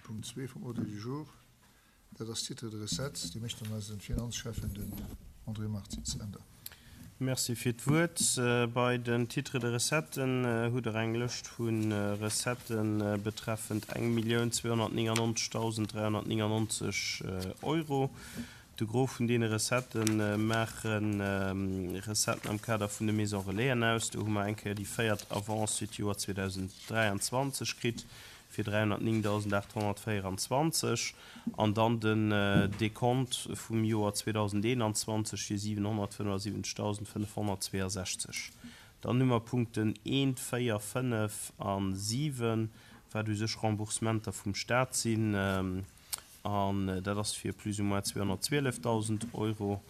Punkt zwee vum Ordre du jour. Dat ass d'Titres de recettes. Déi mécht dann eisen Finanzschäffen, den André Martins. Änder. Merci fir d'Wuert. Bei den Titres de recetten hutt Der eng Lëscht vu Recettë betreffend 1.299.399 Euro. De Gros vun deene Recettë maache Recetten am Kader vun de Maisons Relaisen aus. Do hu mer eng Kéier déi véiert Avance fir d'Joer 2023 kritt fir 309.824 an dann den Dekont vum Joer 2021 fir 775.562. Dann hu mer Punkten 1, 4, 5 a 7, wat u sech Remboursementer vum Stat sinn. An dat ass fir plus ou moins 212.000 Euro,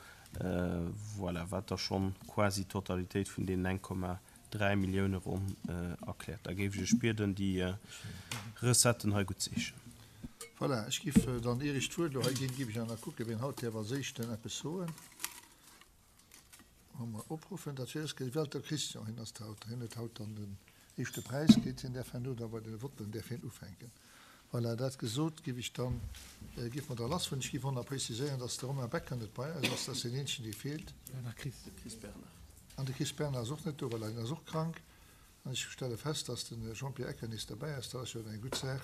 voilà, wat da schonn quasi d'Totalitéit vun deenen 1,3 Millioune ronn erkläert. Da géif ech Iech bieden, déi Recetten hei guttzeheeschen. Voilà, ech géif dann, ier ech d'Wuert elo hei ginn, géif ech awer nach kucken, wien haut däerf als Éischten eppes soen. Wa mer opruffen, dat wier de Welter Christian, hien ass haut, hien huet haut dann den éischte Präis kritt, hien däerf herno da bei de Votten däerf hien ufänken. Voilà, dat gesot, giff ech dann, giff mer da lassfueren. Ech giff och nach preziséieren, dass de Romain Becker net bei eis ass, dat ass deen eenzegen, dee feelt. De Chris Bernard. An de Chris Bernard ass och net do, voilà, hien ass och krank. An ech stelle fest, dass de Jean-Pierre Ecker nees derbäi ass. Dat ass jo eng gutt Saach.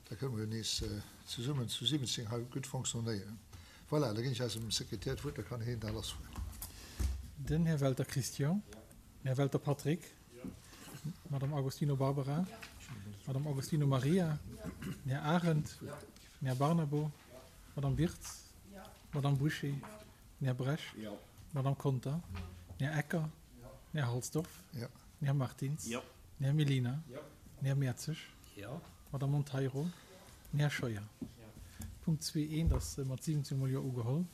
Da kënne mer jo nees zesummen zu 17 hei gutt fonctionnéieren. Voilà, da ginn ech eisem Sekretär d'Wuert, da kann hien da lassfueren. Den Här Welter Christian, den Här Welter Patrick, d'Madame Agostino Barbara, d'Madame Agostino Maria, den Här Arendt, den Här Barnabo, d'Madame Wirtz, d'Madame Bouché, den Här Bresch, d'Madame Conter, den Här Ecker, Den Här Halsdorf. Den Här Martins. Den Här Mellina. Den Här Mertzig. D'Madame Monteiro. Den Här Scheuer. Punkt 2.1 ass mat 17 mol Jo ugeholl.